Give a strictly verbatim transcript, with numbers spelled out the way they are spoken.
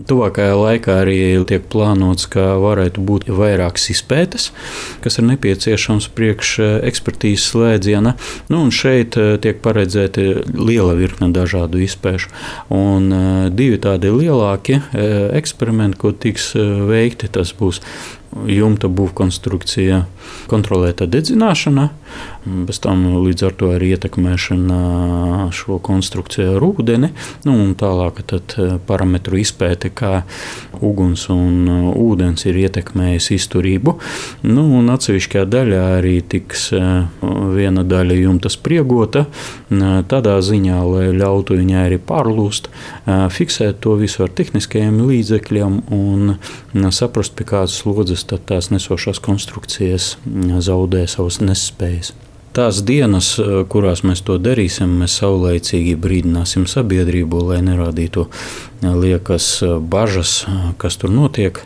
Tuvākajā laikā arī tiek plānots, ka varētu būt vairākas izpētes, kas ir nepieciešams priekš ekspertīzes slēdziena. Nu, un šeit tiek paredzēta liela virkne dažādu izpēšu. Un divi tādi lielākie eksperimenti, ko tiks veikti, tas būs jumta būvkonstrukcija, kontrolēta dedzināšana, bez tam līdz ar to arī ietekmēšana šo konstrukciju ar ūdeni, nu, un tālāk tad parametru izpēte, kā uguns un ūdens ir ietekmējis izturību. Nu, un atsevišķā daļā arī tiks viena daļa jumta spriegota, tādā ziņā, lai ļautu viņai arī pārlūst, fiksēt to visu ar tehniskajiem līdzekļiem un saprast, pie kādas slodzes tad tās nesošās konstrukcijas zaudē savas nespējas. Tās dienas, kurās mēs to darīsim, mēs saulaicīgi brīdināsim sabiedrību, lai nerādītu liekas bažas, kas tur notiek.